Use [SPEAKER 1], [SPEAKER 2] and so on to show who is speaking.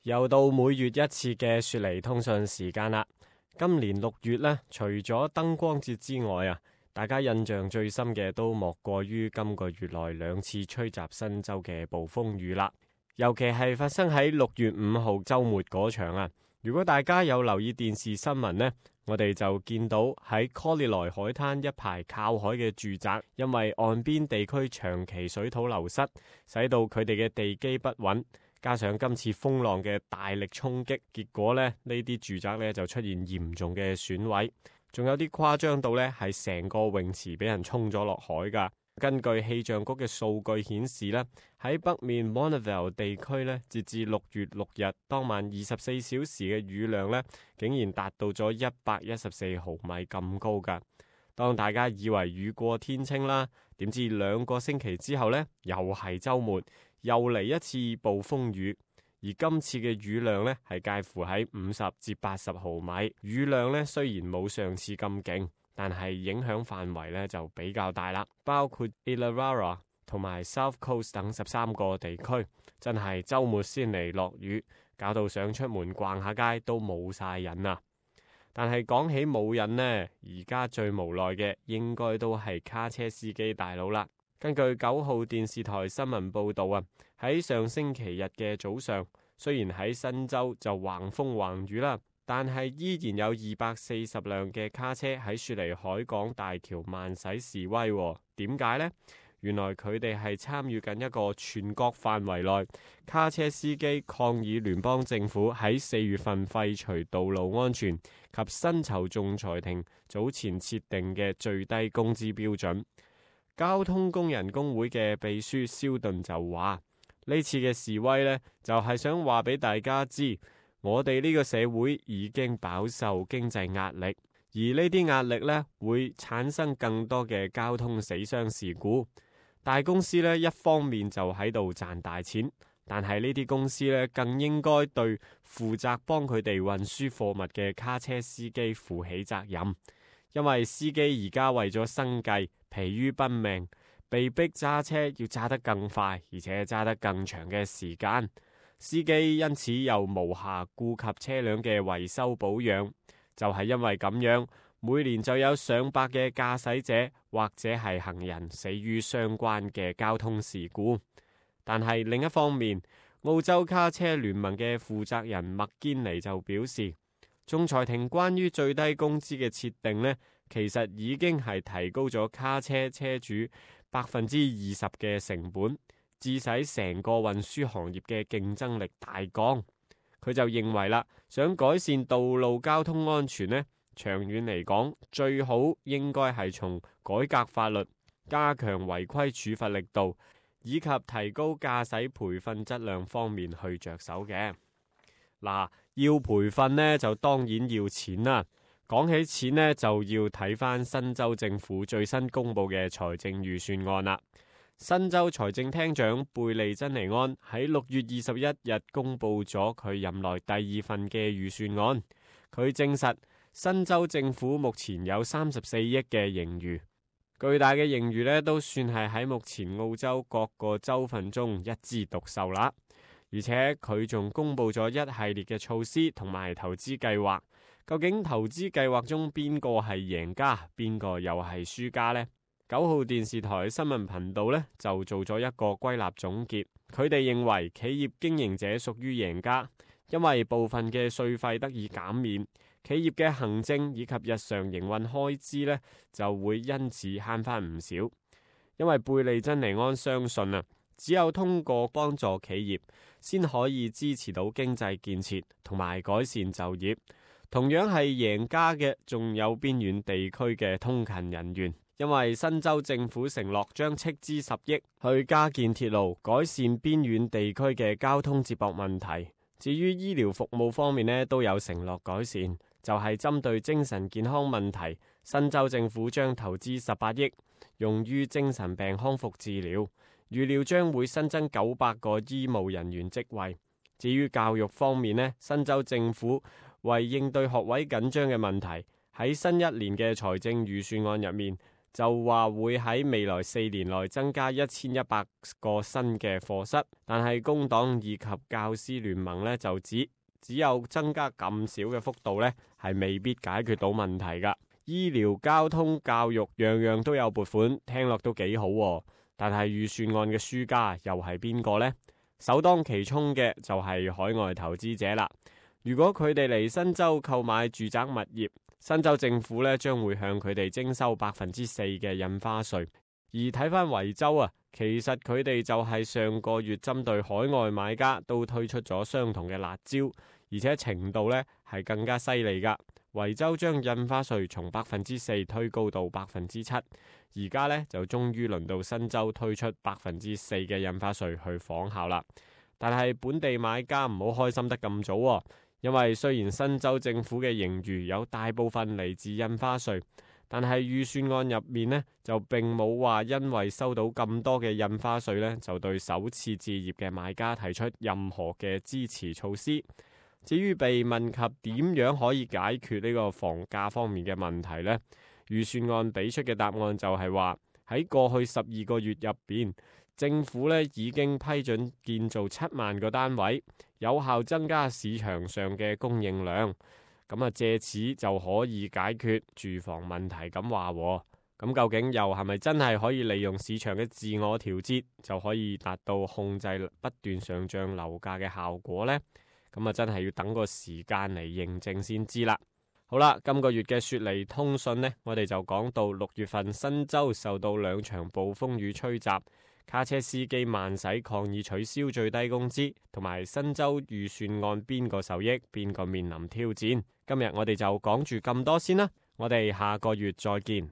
[SPEAKER 1] 又到每月一次嘅雪梨通訊時間啦。今年6月呢，除咗燈光節之外啊，大家印象最深嘅都莫過於今個月內2次吹襲新州嘅暴風雨啦。尤其係發生喺6月5號週末嗰場啊。如果大家有留意電視新聞呢，我哋就見到喺 Collie 海灘一排靠海嘅住宅，因為岸邊地區長期水土流失，使到佢哋嘅地基不穩，加上今次風浪嘅大力衝擊，結果呢啲住宅呢就出現嚴重嘅損毀，仲有啲誇張到呢係成個泳池俾人沖咗落海噶。根據氣象局嘅數據顯示呢，喺北面 Monavale 地區呢，截至6月6日當晚24小時嘅雨量呢，竟然達到咗114毫米咁高噶。當大家以為雨過天晴啦，點知2個星期之後呢，又係週末，又嚟一次暴風雨。而今次嘅雨量呢，係介乎喺50至80毫米。雨量呢，雖然冇上次咁勁，但係影響範圍呢就比較大啦，包括 Illawarra 同埋 South Coast 等13個地區，真係週末先嚟落雨，搞到想出門逛下街都冇晒癮啊！但係講起冇癮呢，而家最無奈嘅應該都係卡車司機大佬啦。根據9號電視台新聞報導啊，喺上星期日嘅早上，雖然喺新州就橫風橫雨啦，但係依然有240輛嘅卡車喺雪梨海港大橋慢駛示威。點解呢？原來佢哋係參與緊一個全國範圍內卡車司機抗議聯邦政府喺4月份廢除道路安全及薪酬仲裁庭早前設定嘅最低工資標準。交通工人工會嘅秘書蕭頓就話：呢次嘅示威呢，就係想話俾大家知，我哋呢個社會已經飽受經濟壓力，而呢啲壓力呢，會產生更多嘅交通死傷事故。大公司呢，一方面就喺度賺大錢，但係呢啲公司呢，更應該對負責幫佢哋運輸貨物嘅卡車司機負起責任，因為司機而家為咗生計疲於奔命，被逼揸車要揸得更快，而且揸得更長嘅時間。司機因此又無暇顧及車輛嘅維修保養，就係因為咁樣，每年就有上百嘅駕駛者或者係行人死於相關嘅交通事故。但係另一方面，澳洲卡車聯盟嘅負責人麥堅尼就表示，仲裁庭關於最低工資嘅設定呢，其實已經係提高咗卡車車主20%嘅成本，致使成個運輸行業嘅競爭力大降。佢就認為啦，想改善道路交通安全呢，長遠嚟講，最好應該係從改革法律、加強違規處罰力度，以及提高駕駛培訓質量方面去着手嘅。嗱，要培訓呢，就當然要錢啦。講起錢呢，就要睇翻新州政府最新公布嘅財政預算案啦。新州財政廳長貝利珍尼安喺6月21日公布咗佢任內第2份嘅預算案。佢證實新州政府目前有34億嘅盈餘，巨大嘅盈餘呢都算係喺目前澳洲各個州份中一枝獨秀啦。而且佢仲公布咗一系列嘅措施同埋投資計劃。究竟投資計劃中邊個係贏家，邊個又係輸家呢？9號電視台新聞頻道呢就做咗一個歸納總結，佢哋認為企業經營者屬於贏家，因為部分嘅稅費得以減免，企業嘅行政以及日常營運開支呢就會因此慳翻唔少。因為貝利珍尼安相信啊，只有通過幫助企業，先可以支持到經濟建設同埋改善就業。同樣係贏家嘅，仲有邊遠地區嘅通勤人員，因為新州政府承諾將斥資10億去加建鐵路，改善邊遠地區嘅交通接駁問題。至於醫療服務方面呢，都有承諾改善，就係針對精神健康問題，新州政府將投資18億用於精神病康復治療，預料將會新增900個醫務人員職位。至於教育方面呢，新州政府為應對學位緊張嘅問題，喺新一年嘅財政預算案入面就話會喺未來4年內增加1100個新嘅課室，但係工黨以及教師聯盟呢就指，只有增加咁少嘅幅度呢，係未必解決到問題噶。醫療、交通、教育樣樣都有撥款，聽落都幾好喎。但係預算案嘅輸家又係邊個呢？首當其衝嘅就係海外投資者啦。如果佢哋嚟新州購買住宅物業，新州政府呢將會向佢哋徵收4%嘅印花稅。而睇返維州啊，其實佢哋就係上個月針對海外買家都推出咗相同嘅辣招，而且程度呢係更加犀利噶。維州將印花稅從4%推高到7%，而家呢就終於輪到新州推出4%嘅印花稅去仿效啦。但係本地買家唔好開心得咁早喎。因為雖然新州政府嘅盈餘有大部分嚟自印花稅，但係預算案入面呢就並冇話因為收到咁多嘅印花稅呢，就對首次置業嘅買家提出任何嘅支持措施。至於被問及點樣可以解決呢個房價方面嘅問題呢，預算案俾出嘅答案就係話喺過去12個月入邊，政府呢已經批准建造7萬個單位，有效增加市場上嘅供應量，咁借此就可以解決住房問題咁話。咁究竟又係咪真係可以利用市場嘅自我調節，就可以達到控制不斷上漲樓價嘅效果呢？咁真係要等個時間嚟認證先知啦。好啦，今個月嘅雪梨通訊呢，我哋就講到6月份新州受到2場暴風雨吹襲，卡車司機慢駛抗議取消最低工資，同埋新州預算案邊個受益，邊個面臨挑戰。今日我哋就講住咁多先啦，我哋下個月再見。